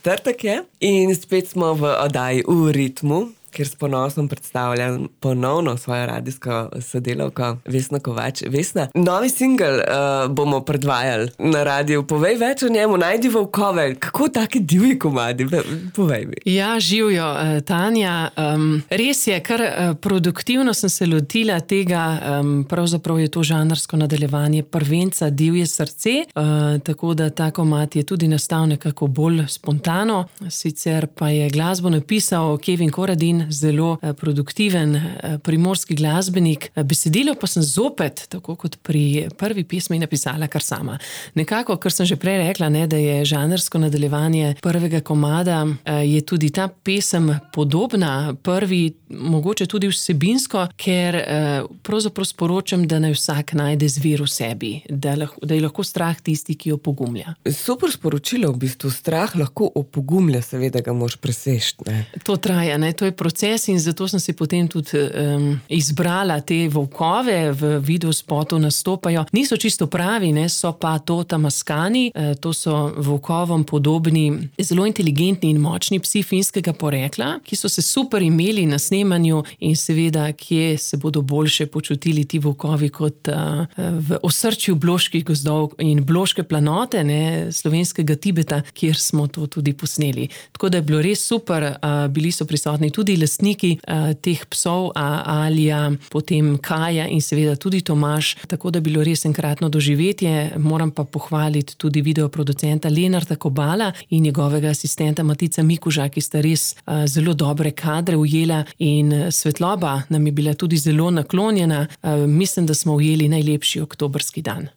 četrtek je in spet smo v oddaji V ritmu, kjer s ponosom predstavljam ponovno svojo radijsko sodelavko Vesno Kovač. Vesna, novi singel bomo predvajali na radiju. Povej več o njemu, Najdi volkove. Kako taki divji komadi? Povej mi. Ja, živjo, Tanja. Res je, kar produktivno sem se lotila tega, pravzaprav je to žanrsko nadaljevanje prvenca Divje srce, tako da ta komad je tudi nastal nekako bolj spontano. Sicer pa je glasbo napisal Kevin Koradin, zelo produktiven primorski glasbenik. Besedilo pa sem zopet, tako kot pri prvi pesmi, napisala kar sama. Nekako, kar sem že prej rekla, ne, da je žanrsko nadaljevanje prvega komada, je tudi ta pesem podobna prvi, mogoče tudi vsebinsko, ker pravzaprav sporočam, da naj vsak najde zvir v sebi, da je lahko strah tisti, ki jo opogumlja. Super sporočilo, v bistvu strah lahko opogumlja, seveda ga moraš preseči, ne? To traja, ne, to je proces in zato sem si potem tudi izbrala te volkove, v videospotu nastopajo. Niso čisto pravi, ne, so pa to tamaskani, to so volkovom podobni, zelo inteligentni in močni psi finskega porekla, ki so se super imeli na snemanju in seveda, kje se bodo boljše počutili ti volkovi kot v osrčju bloških gozdov in bloške planote, ne, slovenskega Tibeta, kjer smo to tudi posneli. Tako da je bilo res super, bili so prisotni tudi lastniki teh psov, Alija, potem Kaja in seveda tudi Tomaž, tako da je bilo res enkratno doživetje. Moram pa pohvaliti tudi videoproducenta Lenarta Kobala in njegovega asistenta Matica Mikuža, ki sta res zelo dobre kadre ujela in svetloba nam je bila tudi zelo naklonjena. Mislim, da smo ujeli najlepši oktobrski dan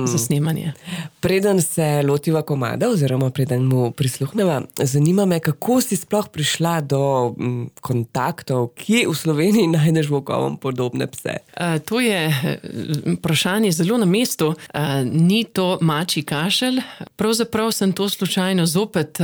za snemanje. Preden se lotiva komada oziroma preden mu prisluhneva, zanima me, kako si sploh prišla do kontaktov, kje v Sloveniji najdeš volkovom podobne pse? To je vprašanje zelo na mestu. Ni to mačji kašelj. Pravzaprav sem to slučajno zopet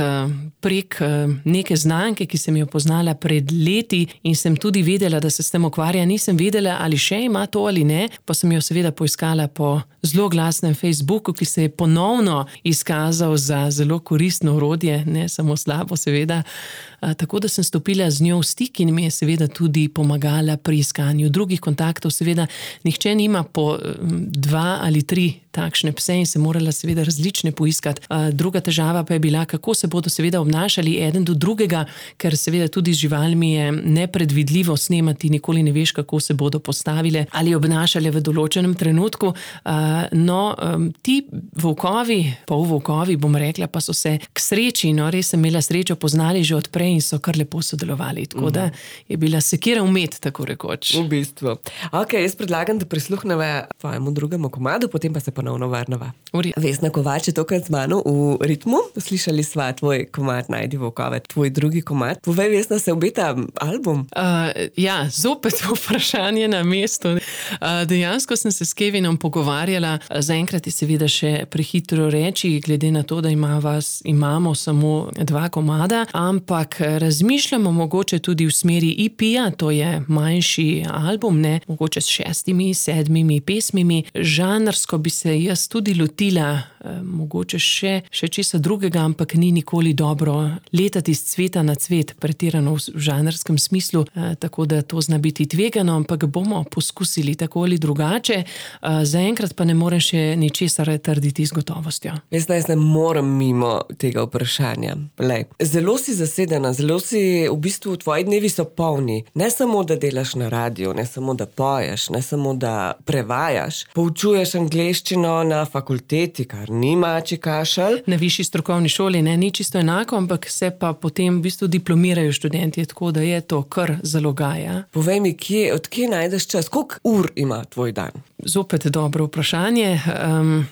prek neke znanke, ki sem jo poznala pred leti in sem tudi vedela, da se s tem ukvarja. Nisem vedela, ali še ima to ali ne, pa sem jo seveda poiskala po zelo glasnem Facebooku, ki se je ponovno izkazal za zelo koristno orodje, ne samo slabo seveda. Tako da sem stopila z njo v stik in mi je seveda tudi pomagala pri iskanju drugih kontaktov. Seveda nihče nima po 2 ali 3 takšne pse in se morala seveda različne poiskati. Druga težava pa je bila, kako se bodo seveda obnašali eden do drugega, ker seveda tudi z živalmi je nepredvidljivo snemati, nikoli ne veš, kako se bodo postavile ali obnašale v določenem trenutku. Ti volkovi, polvolkovi, bom rekla, pa so se k sreči, res sem imela srečo, poznali že od prej in so kar lepo sodelovali. Tako da je bila sekira umet, tako rekoč. V bistvu. Ok, jaz predlagam, da prisluhneva tvojemu drugemu komadu, potem pa se ponovno vrneva. Vesna Kovač je tokrat z mano v ritmu. Slišali sva tvoj komad Najdi volkove, tvoj drugi komad. Povej, Vesna, se obeta album? Ja, zopet vprašanje na mestu. Dejansko sem se s Kevinom pogovarjala. Zaenkrat je seveda še prehitro reči, glede na to, da imamo samo 2 komada, ampak razmišljamo mogoče tudi v smeri EP-ja, to je manjši album, ne, mogoče s 6, 7 pesmimi. Žanrsko bi se jaz tudi lotila, mogoče še česa drugega, ampak ni nikoli dobro letati z cveta na cvet, pretirano v žanrskem smislu, tako da to zna biti tvegano, ampak bomo poskusili tako ali drugače. Zaenkrat pa ne morem še ničesar trditi z gotovostjo. Jaz ne morem mimo tega vprašanja. Zelo si zasedena, zelo si, v bistvu tvoji dnevi so polni. Ne samo, da delaš na radiju, ne samo, da poješ, ne samo, da prevajaš. Poučuješ angleščino na fakulteti, kar ni mačji kašelj. Na višji strokovni šoli, ne, ni čisto enako, ampak se pa potem v bistvu diplomirajo študenti, tako da je to kar zalogaja. Povej mi, od kje najdeš čas? Koliko ur ima tvoj dan? Zopet dobro vprašanje.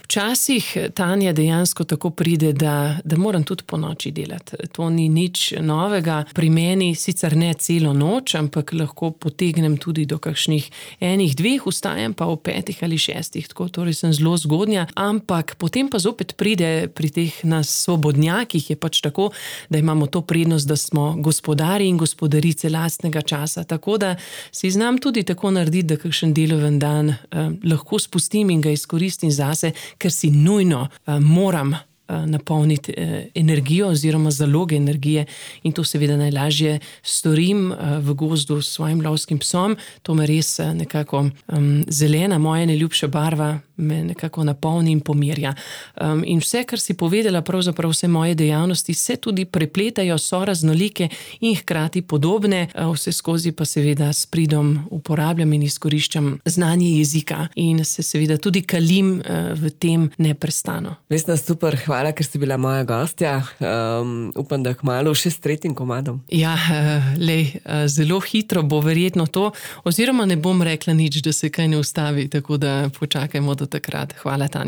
Včasih, Tanja, dejansko tako pride, da moram tudi po noči delati. To ni nič novega. Pri meni sicer ne celo noč, ampak lahko potegnem tudi do kakšnih 1, 2, vstajam pa o 5 ali 6, tako torej sem zelo zgodnja, ampak potem pa zopet pride pri teh nas svobodnjakih, je pač tako, da imamo to prednost, da smo gospodari in gospodarice lastnega časa, tako da si znam tudi tako narediti, da kakšen deloven dan lahko spustim in ga izkoristim zase, ker si nujno moram napolniti energijo oziroma zaloge energije in to seveda najlažje storim v gozdu s svojim lovskim psom. To me res nekako zelena, moja najljubša barva, me nekako napolni in pomirja. In vse, kar si povedala, pravzaprav vse moje dejavnosti se tudi prepletajo, so raznolike in hkrati podobne, vse skozi pa seveda s pridom uporabljam in izkoriščam znanje jezika in se seveda tudi kalim v tem neprestano. Vesna, super, hvala, ker si bila moja gostja. Upam, da kmalu še s 3. komadom. Ja, zelo hitro bo verjetno to, oziroma ne bom rekla nič, da se kaj ne ustavi, tako da počakajmo do takrat. Hvala, Tanja.